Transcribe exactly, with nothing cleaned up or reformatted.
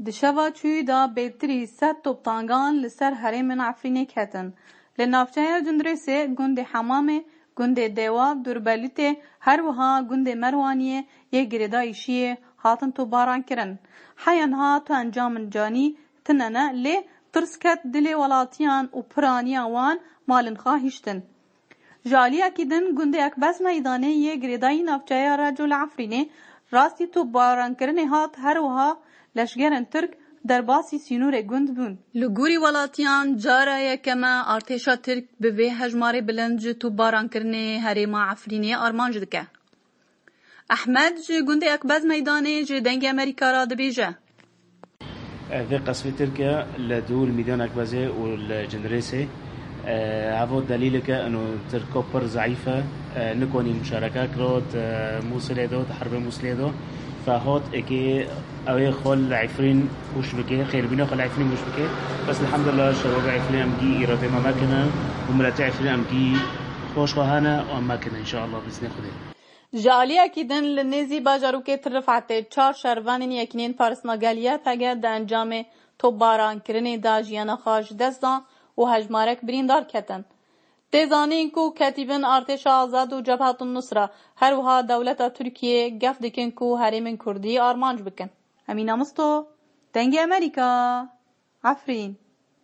Di şeva çûyî de bêtirî sed toptangan li ser herêmên Efrînê ketin. Li navçeya Cindirêsê, gundê Hemamê, gundê Dewa, Durbelûtê, her wiha gundê Merwaniyê yê girêdayî Şiyê hatin topbaran kirin. Heya niha tu encamên canî tine ne, lê tirs ket dilê welatiyan û piraniya wan malên xwe hiştin. Ji aliyekî din gundê Ekbez Meydanê yê girêdayî navçeya Reco li Efrînê rastî topbarankirinê hat, her wiha leşgerên Tirk derbasî sînorê gund bûn. Li gorî welatiyan cara yekem e artêşa Tirk bi vê hejmarê bilind ji topbarankirinê herêma Efrînê armanc dike. Ehmed ji gundê Ekbez Meydanê ji Dengê Amerîka re dibêje. Vê qesfê Tirk e li dû li Mîdyan Ekbezê û li Cindirêsê. Heva delîlek e, ino Tirko pir zeîf e, nikonî muşareke kiro di Mûsilê de, di herbê Mûsilê de. Fe hot êkê ew ê xwe li Efrîn hûş bike, xêrbîna xwe li Efrîn hûş bike. Bes elhamdulillah şebabê Efrîn em gî îradê me mekine û miletê Efrîn em gî xweş xwe hene û em mekine înşallah bi iznê Xwedê. Ji aliyekî din li nêzî bajarokê Til Rifetê çar şervanên Yekîneyên Parastina Gel, Y P G, di encamê topbarankirinê de jiyana xwe ji dest dan û hejmarek birîndar ketin. Tê zanîn ku Ketîbên Artêşa Azad û Cebhetun Nusra, her wiha dewleta Tirkiyê gef dikin ku herêmên Kurdî armanc bikin. Emîne Misto, Dengê Amerîka, Efrîn.